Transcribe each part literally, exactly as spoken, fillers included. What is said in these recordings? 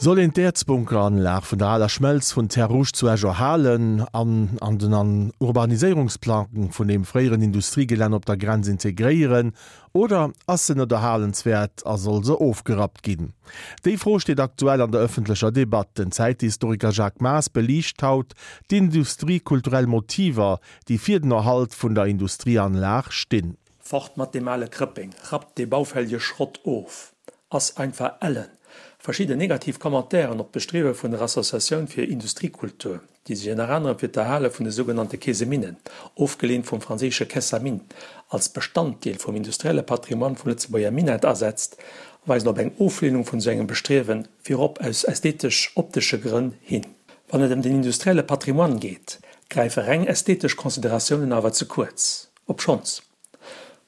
Soll een d'Äerzbunkeranlag vun der aler Schmelz vun Terres Rouges zu Esch erhalen an an den an Urbaniséierungsplang vun dem fréieren Industriegelänn op der Grenz integréieren, oder ass se net erhalenswäert a soll se ofgerappt ginn? Déi Fro steet aktuell an der ëffentlecher Debatt. Den Zäithistoriker Jacques Maas beliicht haut d'industriekulturell Motiver, déi fir den Erhalt vun der Industrieanlag stinn. Fort mat deem ale Krëppeng, rappt dee baufällege Schrott of, ass einfach ellen. Verschidden negativ Commentairen op d'Bestriewe vun der Associatioun fir Industriekultur, déi sech ënner anerem fir d'Erhale vun de sougenannte Keeseminnen, ofgeleent vum franséische Caisse à mines, als Bestanddeel vum industrielle Patrimoine vum Lëtzebuerger Minett asetzt, weisen op eng Ofleenung vun esou engem Bestriewen, virop aus ästhetesch-optesche Grënn, hin. Wann et ëm den industrielle Patrimoine geet, gräife reng ästhetesch Consideratiounen awer ze kuerz, obschonns,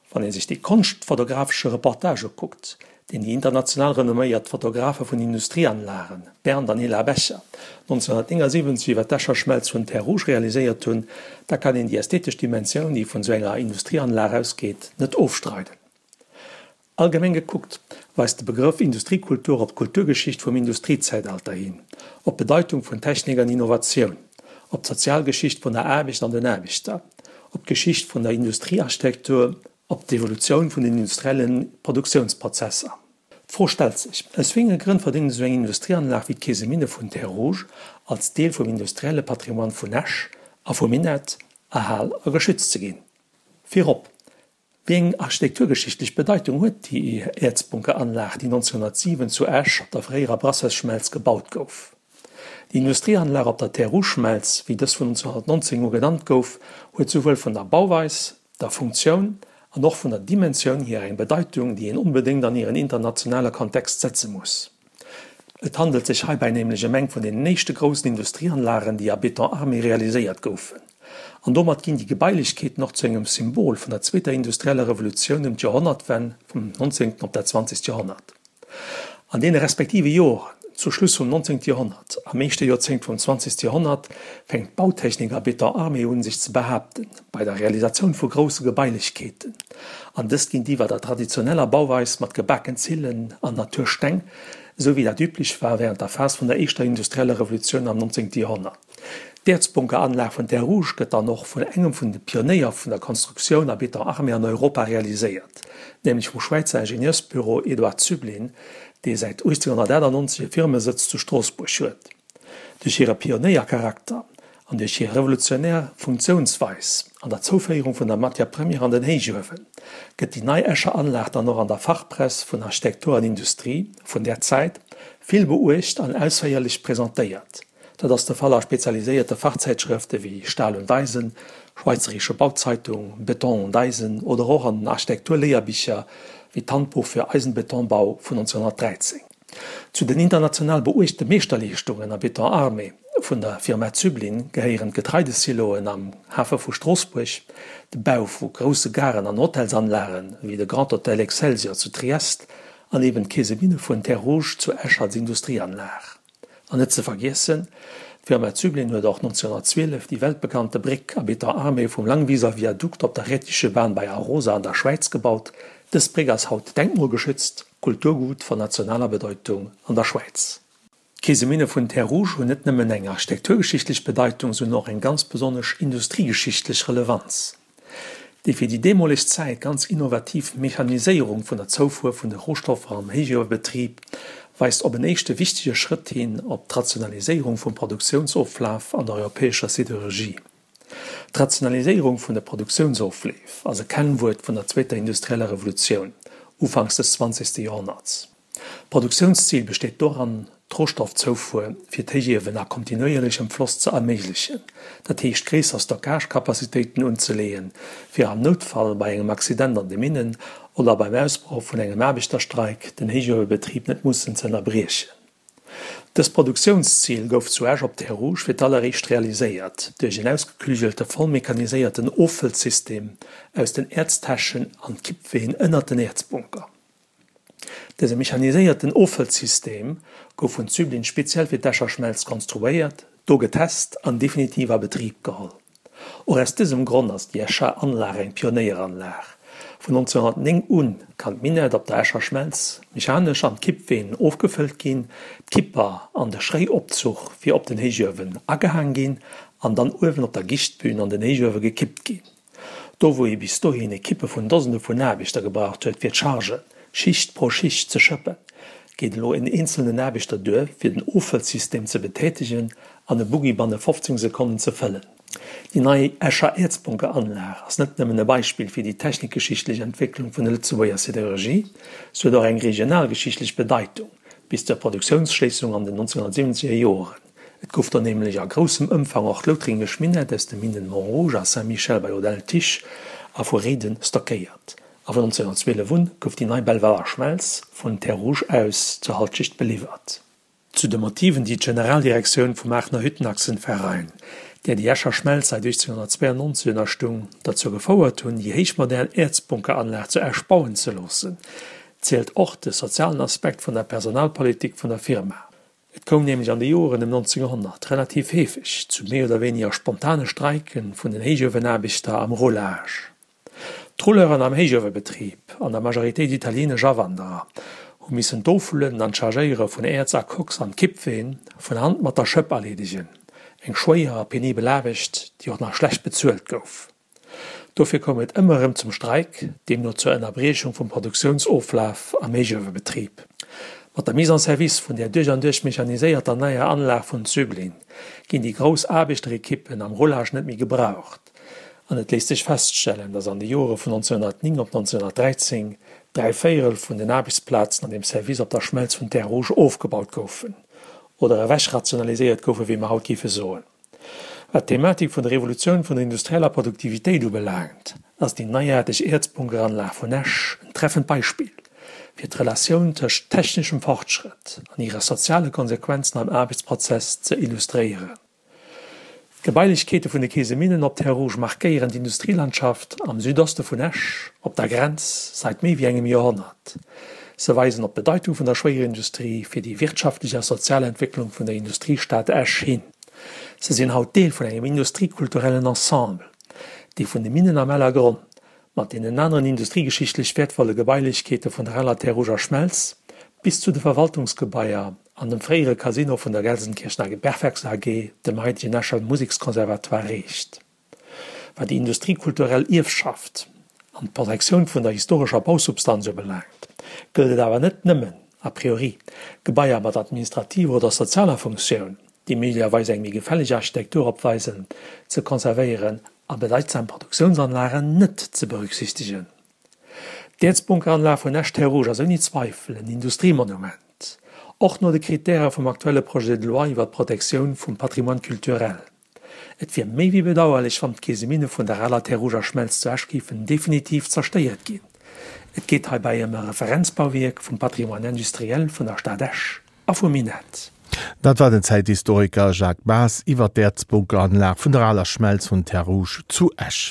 wann ee sech dee konschtfotografesche Reportage ukuckt, deen déi international renomméiert Fotografe vun Industrieanlagen, Bernd an Hilla Becher, nonzénghunnertnéngasiwwenzeg iwwer d'Escher Schmelz vun Terres Rouges realiséiert hunn, da kann een déi ästhetesch Dimensioun, déi vun esou enger Industrieanlag ausgeet, net ofstreiden. Allgemeng gekuckt weist de Begrëff Industriekultur op d'Kulturgeschicht vum Industriezäitalter hin, op d'Bedeitung vun Technik an Innovatioun, op d'Sozialgeschicht vun der Aarbecht an den Aarbechter, op d'Geschicht vun der Industriearchitektur, op d'Evolutioun vun den industrielle Produktiounsprozesser. D'Fro stellt sech, Aus wéi enge Grënn verdéngt esou eng Industrieanlag wéi d'Keeseminne vun Terres Rouges als Deel vum industrielle Patrimoine vun Esch a vum Minett erhal a geschützt ze ginn? Virop, wéi eng architekturgeschichtlech Bedeitung huet déi Äerzbunkeranlag, déi nonzénghunnertsiwen zu Esch op der fréierer Brasseursschmelz gebaut gouf? Déi Industrieanlag op der Terres Rouges-Schmelz, wéi dës vun nonzénghunnertnonzéng u genannt gouf, huet souwuel vun der Bauweis, der Funktioun an och vun der Dimensioun hier eng Bedeitung, déi een onbedéngt an hiren internationale Kontext setze muss. Et handelt sech heibäi nämlech ëm eng vun den éischte groussen Industrieanlagen, déi a Béton armé realiséiert goufen. An domat ginn déi Gebailechkeeten och zu engem Symbol vun der zweeter industrieller Revolutioun ëm d'Joerhonnertwenn vum nonzéngten op dat zwanzegt Joerhonnert. An deene respektive Joren, zu Schluss vum nonzéngte Joerhonnert, am éischte Joerzéngt vum zwanzegste Joerhonnert, fänkt d'Bautechnik a Béton armé un sech ze behaapten, bei der Realisatioun vu grousse Gebailechkeeten, an dëst géintiwwer der traditioneller Bauweis mat gebaken Zillen an Natursteng, esou wéi dat üblech war während der Phas vun der éischter industrieller Revolutioun am nonzéngte Joerhonnert. D'Äerzbunkeranlag vun Terres Rouges gëtt dann och vun engem vun de Pionéier vun der Konstruktioun a Béton armé an Europa realiséiert, nämlech vum Schwäizer Ingenieursbüro Eduard Züblin, dee säit uechtzénghunnertachtannonzeg e Firmesëtz zu Stroossbuerg huet. Duerch hire Pionéiercharakter an duerch hir revolutionär Funktiounsweis an der Zouféierung vun der Matière première an den Héichuewen gëtt déi nei Escher Anlag dann och an der Fachpress vun Architektur an Industrie vun där Zäit vill beuecht an ausféierlech presentéiert. Dat ass de Fall a spezialiséierte Fachzäitschrëfte wéi Stahl und Eisen, Schweizerische Bauzeitung, Beton und Eisen oder och an den Architekturléierbicher wéi d'Handbuch für Eisenbetonbau vun nonzénghunnertdräizéng. Zu den international beuechte Meeschterleeschtungen a Béton armé vun der Firma Züblin gehéieren d'Getreidesiloen am Hafe vu Stroossbuerg, de Bau vu grousse Garen an Hotelsanlagen, wéi de Grand Hotel Excelsior zu Triest, an eben d'Keeseminne vun Terres Rouges zu Esch als Industrieanlag. An net ze vergiessen, d'Firma Züblin huet och nonzénghunnertzwielef déi weltbekannte Bréck a Béton armé vum Langwieser Viadukt op der Rhätische Bahn bei Arosa an der Schwäiz gebaut. Dës Bréck ass haut denkmalgeschützt Kulturgut von nationaler Bedeutung an der Schwäiz. D'Keeseminne vun Terres Rouges hunn net nëmmen eng architekturgeschichtlech Bedeitung, se hunn och eng ganz besonnesch industriegeschichtlech Relevanz. Déi fir déi deemoleg Zäit ganz innovativ Mechaniséierung vun der Zoufuer vun de Rohstoffer am Héichuewebetrib weist op en éischte wichtege Schrëtt hin op d'Rationaliséierung vum Produktiounsoflaf an der europäescher Siderurgie. D'Rationaliséierung vun de Produktiounsofleef ass e Kennwuert vun der zweeter industrieller Revolutioun, ufanks des zwanzegste Joerhonnerts. D'Produktiounszil besteet doran, d'Rohstoffzoufuer fir d'Héichiewen a kontinuéierlechem Floss ze erméiglechen, dat heescht gréisser Stockage-Capacitéiten unzeleeën, fir am Noutfall bei engem Accident an de Minnen oder beim Ausbroch vun engem Aarbechterstreik den Héichuewebetrib net mussen ze ënnerbriechen. Dëst Produktiounszil gouf zu Esch op Terres Rouges fir d'alleréischt realiséiert duerch en ausgeklügelte vollmechaniséierten Offëllsystem aus den Äerztäschen an Kippween ënnert den Äerzbunker. Dëse mechaniséierten Offëllsystem gouf vun Züblin speziell fir d'Escher Schmelz konstruéiert, do getest an definitiv a Betrib geholl. Och aus dësem Grond ass déi Escher Anlag eng Pionéieranlag. Vun neunzehnhunnertnéng un kann d'Minett op der Escher Schmelz mechanesch an d'Kippween ofgefëllt ginn, d'Kipper an de Schréiopzuch fir op den Héichuewen agehaang ginn an dann uewen op der Gichtbün an den Héichuewe gekippt ginn. Do wou ee bis dohin Ekippe vun Dosende vun Aarbechter gebraucht huet fir d'Chargen Schicht pro Schicht ze schëppen, geet elo en eenzelnen Aarbechter duer fir den Offëllsystem ze betätegen an e Buggi banne fofzéng Sekonnen ze fëllen. Déi nei Escher Äerzbunkeranlag ass net nëmmen e Beispill fir déi technikgeschichtlech Entwécklung vun der Lëtzebuerger Siderurgie, se huet och eng regionalgeschichtlech Bedeitung bis zur Produktiounsschléissung an den neunzehnhunnertsiwwenzeger Joren. Et gouf do nämlech a groussem Ëmfang och loutringesch Minett aus de Minnen Montrouge a Saint-Michel bei Audun-le-Tiche a vu Réiden stockéiert. A vun neunzehnhunnertzwielef un gouf déi nei Belvaler Schmelz vun Terre-Rouge aus zur Halschicht beliwwert. Zu de Motiven, déi d'Generaldirektioun vum Aachener Hüttenachsenverein, där déi Escher Schmelz säit uechtzénhunnertzweianonzeg ënnerstung, derzou gefouert hunn, déi héichmodern Äerzbunkeranlag zu Esch bauen ze loossen, zielt och de sozialen Aspekt vun der Personalpolitik vun der Firma. Et koum nämlech an de Joren ëm neunzehnhonnert relativ heefeg zu méi oder wéiniger spontane Streike vun den Héichuewenaarbechter am Roulage. D'Rouleuren am Héichuewebetrib, an der Majoritéit italieenesch Awanderer, hu missen d'Offüllen an d'Chargéiere vun Äerz a Koks an d'Kippween vun Hand mat der Schëpp erleedegen, eng schwéier a penibel Aarbecht, déi och nach schlecht bezuelt gouf. Dofir koum et ëmmer erëm zum Streik, deemno zur Ënnerbriechung vum Produktiounsoflaf am Héichuewebetrib. Mat der Mise en service vun där duerch an duerch mechaniséierter neier Anlag vun Züblin ginn déi grouss Aarbechterekippen am Roulage net méi gebraucht an et léisst sech feststellen, datt an de Jore vun neunzehnhunnertnéng op neunzehnhunnertdräizéng dräi Véierel vun den Aarbechtsplazen an dem Service op der Schmelz vun Terres Rouges ofgebaut goufen oder ewechrationaliséiert goufen, wéi mer haut géife soen. Wat d'Thematik vun der Revolutioun vun der industrieller Produktivitéit ubelaangt, ass déi neiaarteg Äerzbunkeranlag vun Esch en treffend Beispill fir d'Relatioun tëscht techneschem Fortschrëtt an hire soziale Konsequenzen am Aarbechtsprozess ze illustréieren. D'Gebailechkeete vun de Keeseminnen op Terres Rouges markéieren d'Industrielandschaft am Südoste vun Esch op der Grenz säit méi wéi engem Joerhonnert. Se weisen op d'Bedeitung vun der Schwéierindustrie fir déi wirtschaftlech a sozial Entwécklung vun der Industriestad Esch hin. Se sinn haut Deel vun engem industriekulturellen Ensemble, dee vun de Minnen am Ellergronn mat deenen aneren industriegeschichtlech wäertvolle Gebailechkeete vun der Eller Terres Rouges a Schmelz bis zu de Verwaltungsgebaier an dem fréiere Casino vun der Gelsenkirchener Bergwerks A G, dem haitegen Escher Museksconservatoire, reecht. Wat déi industriekulturell Ierfschaft an d'Protektioun vun der historescher Bausubstanz ubelaangt, gëllt et awer net nëmmen, a priori, Gebaier mat administrativer oder sozialer Funktioun, déi méiglecherweis eng méi gefälleg Architektur opweisen, ze konservéieren a bedeitsam Produktiounsanlagen net ze berücksichtegen. D'Äerzbunkeranlag vun Esch-Terres Rouges ass ouni Zweifel en Industriemonument, och no de Kritäre vum aktuelle Projet de loi iwwer d'Protektioun vum Patrimoine culturel. Et wier méi wéi bedauerlech, wann d'Keeseminne vun der aler Terres Rouges a Schmelz zu Esch géifen definitiv zerstéiert ginn. Et geet heibäi ëm e Referenzbauwierk vum Patrimoine industriel vun der Stad Esch a vum Minett. Dat war den Zäithistoriker Jacques Maas iwwer d'Äerzbunkeranlag vun der aler Schmelz vun Terres Rouges zu Esch.